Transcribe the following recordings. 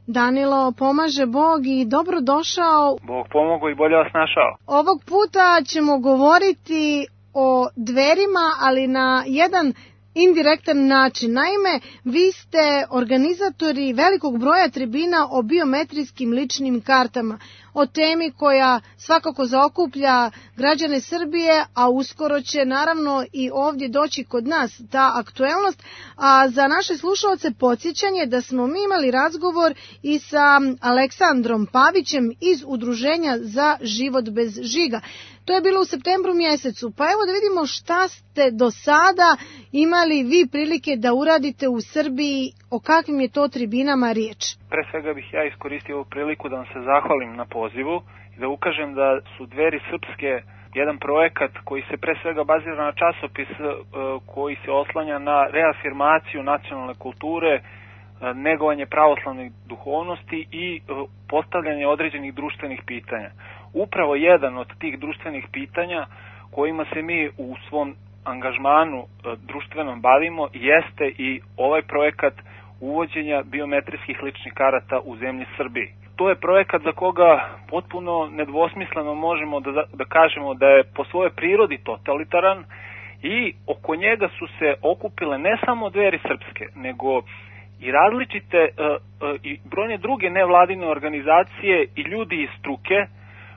Danilo, pomaže Bog i dobro došao. Bog pomogao i bolje vas našao. Ovog puta ćemo govoriti o Dverima, ali na jedan indirektan način. Naime, vi ste organizatori velikog broja tribina o biometrijskim ličnim kartama, o temi koja svakako zaokuplja građane Srbije, a uskoro će naravno i ovdje doći kod nas ta aktuelnost. A za naše slušalce podsjećanje da smo mi imali razgovor i sa Aleksandrom Pavićem iz Udruženja za život bez žiga. To je bilo u septembru mjesecu, pa evo da vidimo šta ste do sada imali vi prilike da uradite u Srbiji, o kakvim je to tribinama riječ. Pre svega bih ja iskoristio ovu priliku da vam se zahvalim na pozivu i da ukažem da su Dveri srpske jedan projekat koji se pre svega bazira na časopis koji se oslanja na reafirmaciju nacionalne kulture, negovanje pravoslavne duhovnosti i postavljanje određenih društvenih pitanja. Upravo jedan od tih društvenih pitanja kojima se mi u svom angažmanu društvenom bavimo jeste i ovaj projekat uvođenja biometrijskih ličnih karata u zemlji Srbiji. To je projekat za koga potpuno nedvosmisleno možemo da kažemo da je po svojoj prirodi totalitaran i oko njega su se okupile ne samo Dveri srpske, nego i različite i brojne druge nevladine organizacije i ljudi iz struke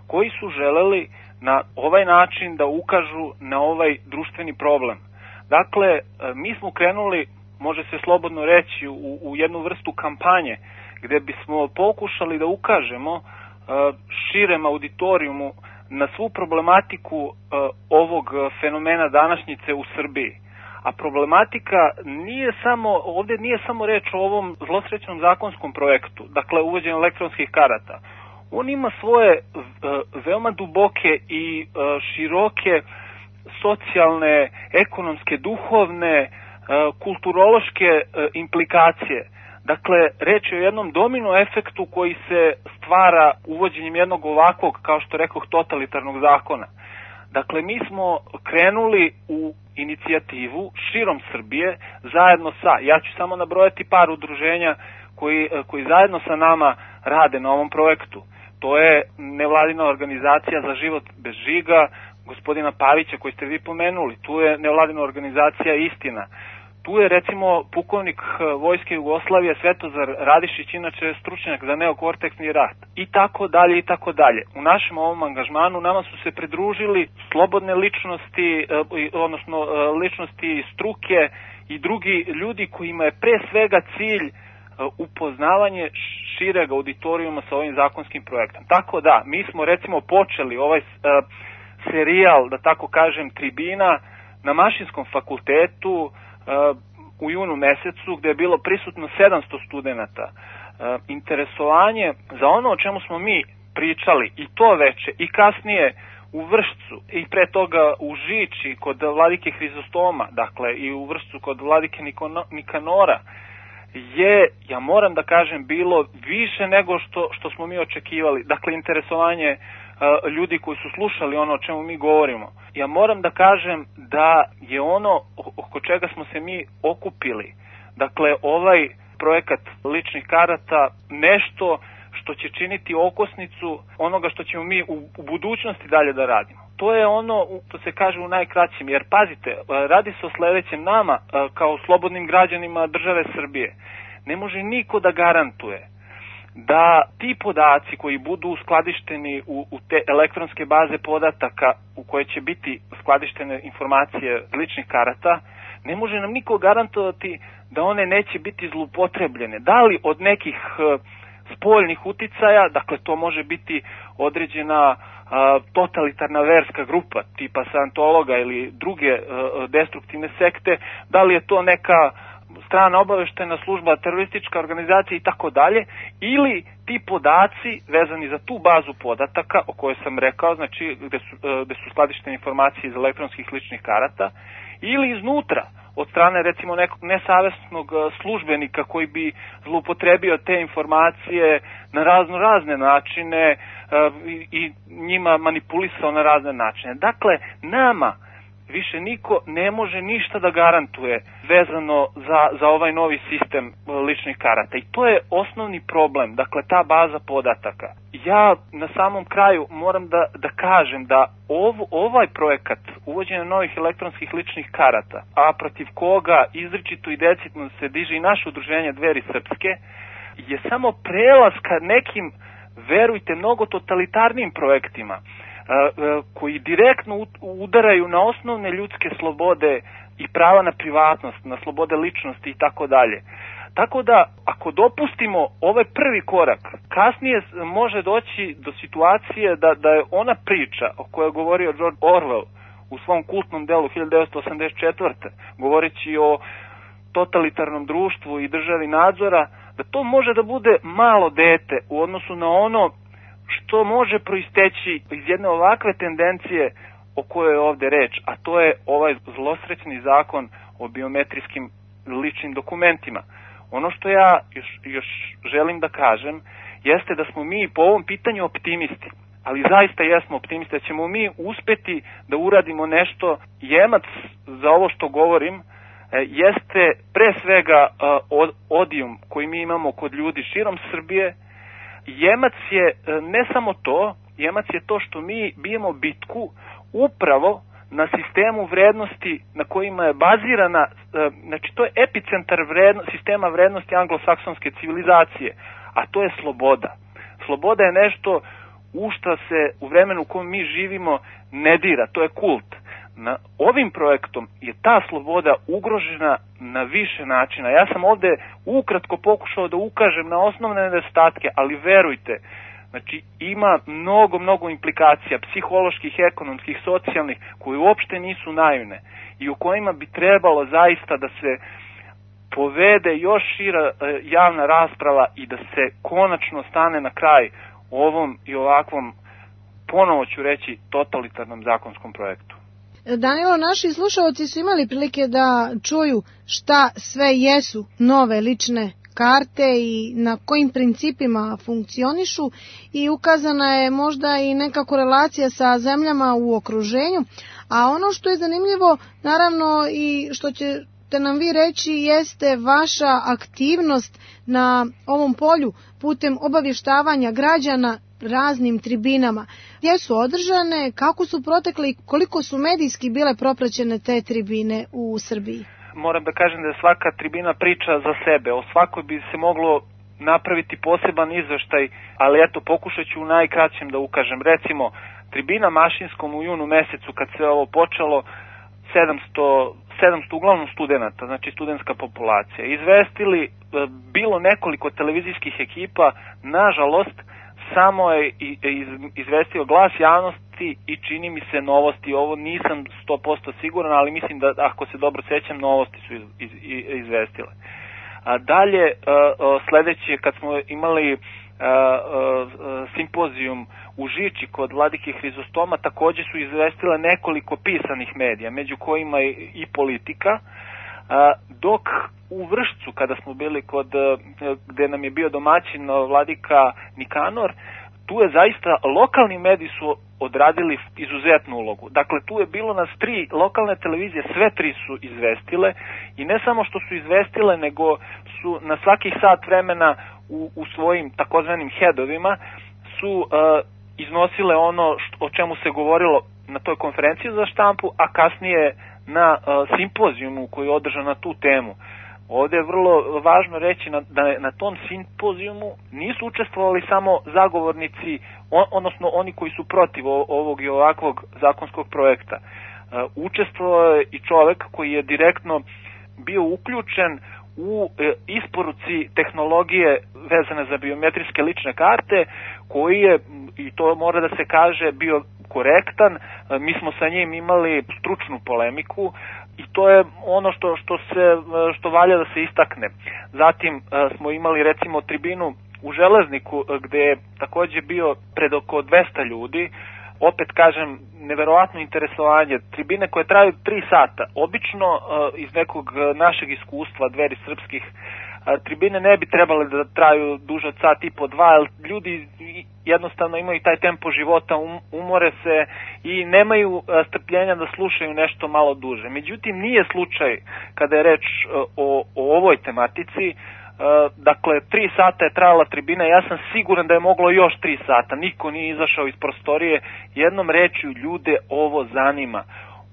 koji su želeli na ovaj način da ukažu na ovaj društveni problem. Dakle, mi smo krenuli, može se slobodno reći, u jednu vrstu kampanje gde bismo pokušali da ukažemo širem auditorijumu na svu problematiku ovog fenomena današnjice u Srbiji. A problematika ovdje nije samo reč o ovom zlosrećnom zakonskom projektu, dakle uvođenju elektronskih karata. On ima svoje veoma duboke i široke socijalne, ekonomske, duhovne, kulturološke implikacije. Dakle, reč je o jednom domino efektu koji se stvara uvođenjem jednog ovakvog, kao što rekoh, totalitarnog zakona. Dakle, mi smo krenuli u inicijativu širom Srbije, zajedno ja ću samo nabrojati par udruženja koji zajedno sa nama rade na ovom projektu. To je nevladina organizacija za život bez žiga, gospodina Pavića koji ste vi pomenuli, tu je nevladina organizacija Istina, tu je recimo pukovnik Vojske Jugoslavije Svetozar Radišić, inače stručnjak za neokorteksni rat, i tako dalje i tako dalje. U našem ovom angažmanu nama su se pridružili slobodne ličnosti, odnosno ličnosti struke i drugi ljudi kojima je pre svega cilj upoznavanje šireg auditorijuma sa ovim zakonskim projektom. Tako da, mi smo recimo počeli ovaj serijal, da tako kažem, tribina na Mašinskom fakultetu u junu mesecu, gde je bilo prisutno 700 studenata. Interesovanje za ono o čemu smo mi pričali i to veče i kasnije u Vršcu i pre toga u Žiči kod vladike Hrizostoma, dakle i u Vršcu kod vladike Nikanora, je, ja moram da kažem, bilo više nego što smo mi očekivali. Dakle, interesovanje ljudi koji su slušali ono o čemu mi govorimo. Ja moram da kažem da je ono oko čega smo se mi okupili, dakle, ovaj projekat ličnih karata, nešto što će činiti okosnicu onoga što ćemo mi u budućnosti dalje da radimo. To je ono što se kaže u najkraćim, jer pazite, radi se o sledećem. Nama, kao slobodnim građanima države Srbije, ne može niko da garantuje da ti podaci koji budu skladišteni u te elektronske baze podataka u koje će biti skladištene informacije ličnih karata, ne može nam niko garantovati da one neće biti zloupotrebljene. Da li od nekih spoljnih uticaja, dakle to može biti određena totalitarna verska grupa tipa Scientologa ili druge destruktivne sekte, da li je to neka strana obaveštena služba, teroristička organizacija i tako dalje, ili ti podaci vezani za tu bazu podataka o kojoj sam rekao, znači gde su skladištene informacije iz elektronskih ličnih karata, ili iznutra od strane recimo nekog nesavesnog službenika koji bi zloupotrebio te informacije na razne načine i njima manipulisao na razne načine. Dakle, nama više niko ne može ništa da garantuje vezano za ovaj novi sistem ličnih karata. I to je osnovni problem, dakle ta baza podataka. Ja na samom kraju moram da kažem da ovaj projekat uvođenja novih elektronskih ličnih karata, a protiv koga izričito i decidno se diže i naše udruženje Dveri srpske, je samo prelaz ka nekim, verujte, mnogo totalitarnim projektima koji direktno udaraju na osnovne ljudske slobode i prava na privatnost, na slobode ličnosti i tako dalje. Tako da, ako dopustimo ovaj prvi korak, kasnije može doći do situacije da je ona priča o kojoj je govorio George Orwell u svom kultnom delu 1984. govoreći o totalitarnom društvu i državi nadzora, da to može da bude malo dete u odnosu na ono što može proisteći iz jedne ovakve tendencije o kojoj je ovde reč, a to je ovaj zlosrećni zakon o biometrijskim ličnim dokumentima. Ono što ja još želim da kažem jeste da smo mi po ovom pitanju optimisti, ali zaista jesmo optimisti da ćemo mi uspeti da uradimo nešto. Jemac za ovo što govorim jeste pre svega odijum koji mi imamo kod ljudi širom Srbije. Jemac je ne samo to, jemac je to što mi bijemo bitku upravo na sistemu vrednosti na kojima je bazirana, znači to je epicentar sistema vrednosti anglosaksonske civilizacije, a to je sloboda. Sloboda je nešto u što se u vremenu u kojem mi živimo ne dira, to je kult. Ovim projektom je ta sloboda ugrožena na više načina. Ja sam ovde ukratko pokušao da ukažem na osnovne nedostatke, ali verujte, znači ima mnogo implikacija psiholoških, ekonomskih, socijalnih, koje uopšte nisu naivne i u kojima bi trebalo zaista da se povede još šira javna rasprava i da se konačno stane na kraj ovom i ovakvom, ponovo ću reći, totalitarnom zakonskom projektu. Danilo, naši slušalci su imali prilike da čuju šta sve jesu nove lične karte i na kojim principima funkcionišu i ukazana je možda i neka korelacija sa zemljama u okruženju, a ono što je zanimljivo, naravno i što ćete nam vi reći, jeste vaša aktivnost na ovom polju putem obavještavanja građana raznim tribinama. Gdje su održane, kako su protekle i koliko su medijski bile propraćene te tribine u Srbiji? Moram da kažem da svaka tribina priča za sebe. O svakoj bi se moglo napraviti poseban izveštaj, ali eto, pokušat ću u najkraćem da ukažem. Recimo, tribina Mašinskom u junu mesecu, kad se ovo počelo, 700 uglavnom studenta, znači studentska populacija, izvestili bilo nekoliko televizijskih ekipa, nažalost, samo je izvestio Glas javnosti i čini mi se Novosti. Ovo nisam 100% siguran, ali mislim da, ako se dobro sećam, Novosti su izvestile. Dalje, sledeće, kad smo imali simpozijum u Žiči kod vladike Hrizostoma, takođe su izvestile nekoliko pisanih medija, među kojima i Politika, dok u Vršcu, kada smo bili gde nam je bio domaćin vladika Nikanor, tu je zaista lokalni mediji su odradili izuzetnu ulogu. Dakle, tu je bilo nas 3 lokalne televizije, sve 3 su izvestile i ne samo što su izvestile, nego su na svakih sat vremena u svojim takozvanim headovima su iznosile ono o čemu se govorilo na toj konferenciji za štampu, a kasnije na simpozijumu koji je održan na tu temu. Ovde je vrlo važno reći da na tom simpozijumu nisu učestvovali samo zagovornici, odnosno oni koji su protiv ovog i ovakvog zakonskog projekta. Učestvovao je i čovek koji je direktno bio uključen u isporuci tehnologije vezane za biometrijske lične karte, koji je, i to mora da se kaže, bio korektan. Mi smo sa njim imali stručnu polemiku i to je ono što valja da se istakne. Zatim smo imali recimo tribinu u Železniku gde je takođe bio pred oko 200 ljudi. Opet kažem, neverovatno interesovanje. Tribine koje traju 3 sata. Obično iz nekog našeg iskustva Dveri srpskih tribine ne bi trebale da traju duže od sat i po dva, jer ljudi jednostavno imaju taj tempo života, umore se i nemaju strpljenja da slušaju nešto malo duže. Međutim, nije slučaj kada je reč o ovoj tematici. Dakle, 3 sata je trajala tribina, ja sam siguran da je moglo još 3 sata, niko nije izašao iz prostorije, jednom rečju ljude ovo zanima.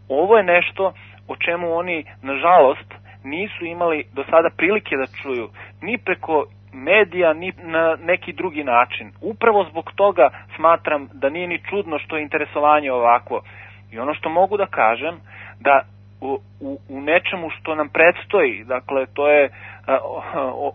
Ovo je nešto o čemu oni, nažalost, nisu imali do sada prilike da čuju, ni preko medija, ni na neki drugi način. Upravo zbog toga smatram da nije ni čudno što je interesovanje ovakvo. I ono što mogu da kažem, da u nečemu što nam predstoji, dakle to je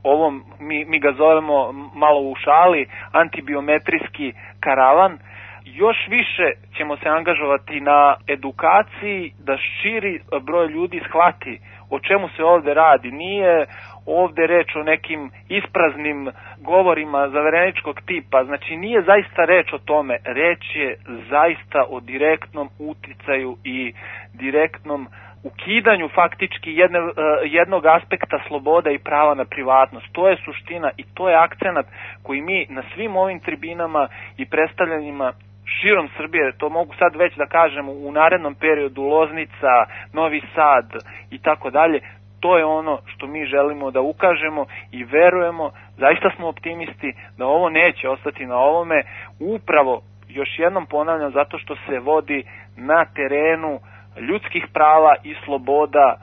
ovom, mi ga zovemo malo u šali, antibiometrijski karavan, još više ćemo se angažovati na edukaciji da širi broj ljudi shvati o čemu se ovde radi. Nije ovde reč o nekim ispraznim govorima zavereničkog tipa, znači nije zaista reč o tome, reč je zaista o direktnom uticaju i direktnom ukidanju faktički jednog aspekta slobode i prava na privatnost. To je suština i to je akcenat koji mi na svim ovim tribinama i predstavljanjima širom Srbije, to mogu sad već da kažem u narednom periodu, Loznica, Novi Sad i tako dalje, to je ono što mi želimo da ukažemo i verujemo, zaista smo optimisti da ovo neće ostati na ovome, upravo, još jednom ponavljam, zato što se vodi na terenu ljudskih prava i sloboda,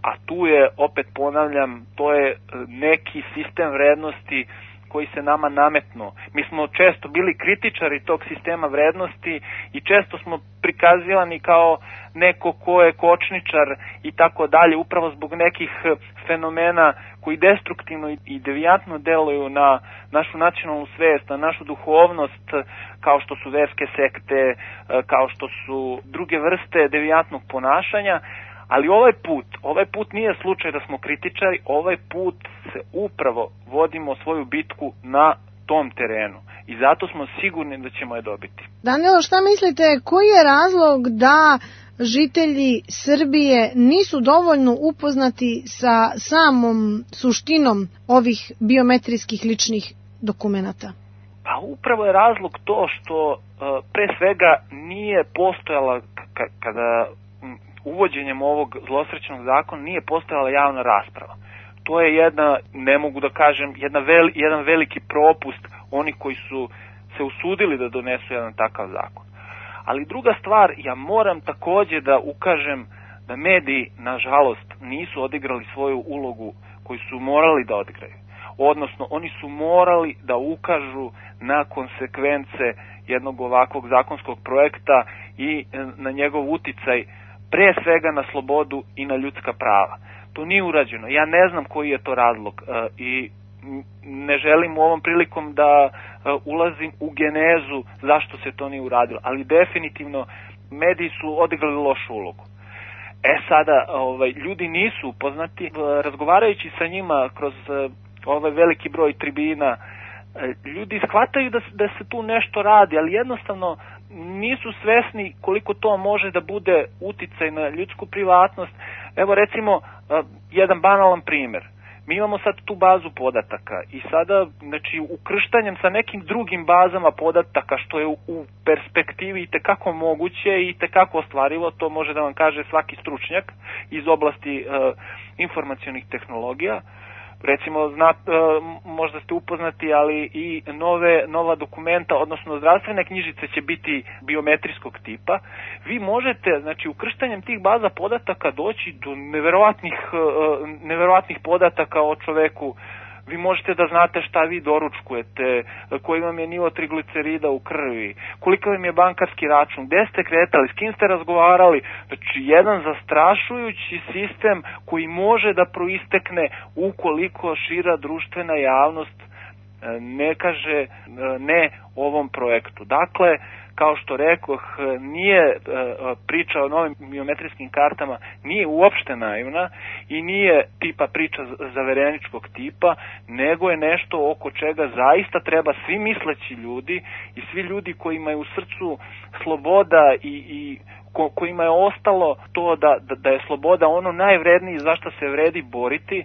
a tu je, opet ponavljam, to je neki sistem vrednosti koji se nama nametnuo. Mi smo često bili kritičari tog sistema vrednosti i često smo prikazivani kao neko ko je kočničar i tako dalje, upravo zbog nekih fenomena koji destruktivno i devijantno deluju na našu nacionalnu svest, na našu duhovnost, kao što su verske sekte, kao što su druge vrste devijantnog ponašanja. Ali ovaj put nije slučaj da smo kritičari, ovaj put se upravo vodimo svoju bitku na tom terenu i zato smo sigurni da ćemo je dobiti. Danilo, šta mislite, koji je razlog da žitelji Srbije nisu dovoljno upoznati sa samom suštinom ovih biometrijskih ličnih dokumenata? Pa upravo je razlog to što pre svega nije postojala kada uvođenjem ovog zlosrećnog zakona nije postojala javna rasprava. To je jedna, ne mogu da kažem, jedan veliki propust onih koji su se usudili da donesu jedan takav zakon. Ali druga stvar, ja moram takođe da ukažem da mediji, nažalost, nisu odigrali svoju ulogu koju su morali da odigraju. Odnosno, oni su morali da ukažu na konsekvence jednog ovakvog zakonskog projekta i na njegov uticaj pre svega na slobodu i na ljudska prava. To nije urađeno. Ja ne znam koji je to razlog i ne želim u ovom prilikom da ulazim u genezu zašto se to nije uradilo, ali definitivno mediji su odigrali lošu ulogu. Sada, ljudi nisu upoznati, razgovarajući sa njima kroz ovaj veliki broj tribina, ljudi shvataju da se tu nešto radi, ali jednostavno nisu svesni koliko to može da bude uticaj na ljudsku privatnost. Evo recimo jedan banalan primer. Mi imamo sad tu bazu podataka i sada, znači, ukrštanjem sa nekim drugim bazama podataka, što je u perspektivi itekako moguće i itekako ostvarivo, to može da vam kaže svaki stručnjak iz oblasti informacionih tehnologija. Recimo, možda ste upoznati, ali i nova dokumenta, odnosno zdravstvene knjižice će biti biometrijskog tipa. Vi možete, znači, ukrštanjem tih baza podataka doći do neverovatnih podataka o čoveku. Vi možete da znate šta vi doručkujete, koji vam je nivo triglicerida u krvi, koliko vam je bankarski račun, gde ste kretali, s kim ste razgovarali. Znači, jedan zastrašujući sistem koji može da proistekne ukoliko šira društvena javnost ne kaže ne ovom projektu. Dakle, kao što rekoh, nije priča o novim biometrijskim kartama, nije uopšte naivna i nije tipa priča zavereničkog tipa, nego je nešto oko čega zaista treba svi misleći ljudi i svi ljudi koji imaju u srcu sloboda i kojima je ostalo to da je sloboda ono najvrednije za što se vredi boriti,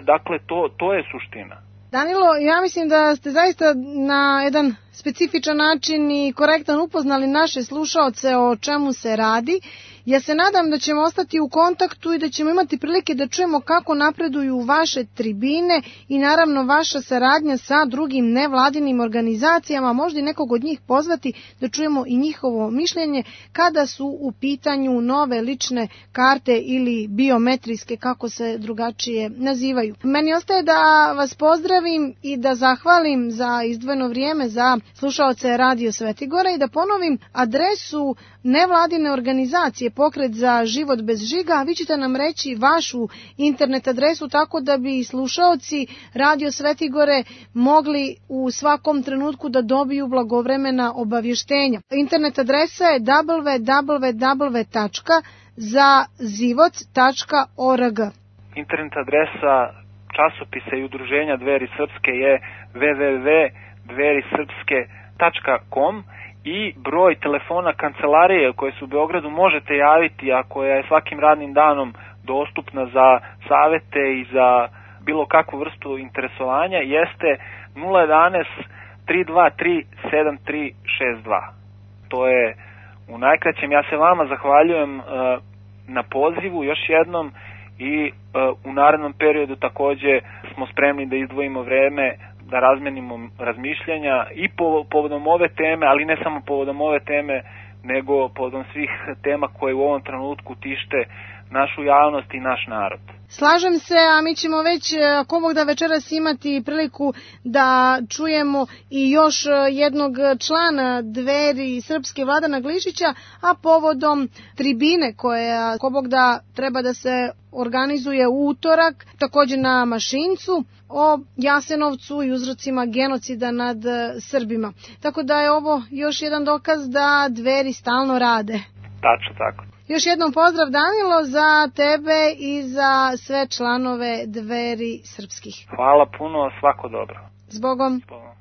Dakle, to je suština. Danilo, ja mislim da ste zaista na jedan specifičan način i korektan upoznali naše slušaoce o čemu se radi. Ja se nadam da ćemo ostati u kontaktu i da ćemo imati prilike da čujemo kako napreduju vaše tribine i naravno vaša saradnja sa drugim nevladinim organizacijama, možda i nekog od njih pozvati da čujemo i njihovo mišljenje kada su u pitanju nove lične karte ili biometrijske, kako se drugačije nazivaju. Meni ostaje da vas pozdravim i da zahvalim za izdvojeno vrijeme za slušaoce Radio Svetigora i da ponovim adresu nevladine organizacije Pokret za život bez žiga, a vi ćete nam reći vašu internet adresu tako da bi slušaoci Radio Svetigore mogli u svakom trenutku da dobiju blagovremena obavještenja. Internet adresa je www.zazivoc.org. Internet adresa časopisa i udruženja Dveri Srpske je www.dverisrpske.com i broj telefona kancelarije koje su u Beogradu možete javiti, a koja je svakim radnim danom dostupna za savete i za bilo kakvu vrstu interesovanja, jeste 011 323 7362. To je u najkraćem. Ja se vama zahvaljujem na pozivu još jednom i u narednom periodu takođe smo spremni da izdvojimo vreme da razmenimo razmišljanja i povodom ove teme, ali ne samo povodom ove teme, nego povodom svih tema koje u ovom trenutku tište našu javnost i naš narod. Slažem se, a mi ćemo već, ako Bog da, večeras imati priliku da čujemo i još jednog člana Dveri Srpske, Vladana Glišića, a povodom tribine koja, ako Bog da, treba da se organizuje u utorak, također na Mašincu, o Jasenovcu i uzrocima genocida nad Srbima. Tako da je ovo još jedan dokaz da Dveri stalno rade. Tačno tako. Još jednom pozdrav, Danilo, za tebe i za sve članove Dveri Srpskih. Hvala puno, svako dobro. Zbogom. Zbogom.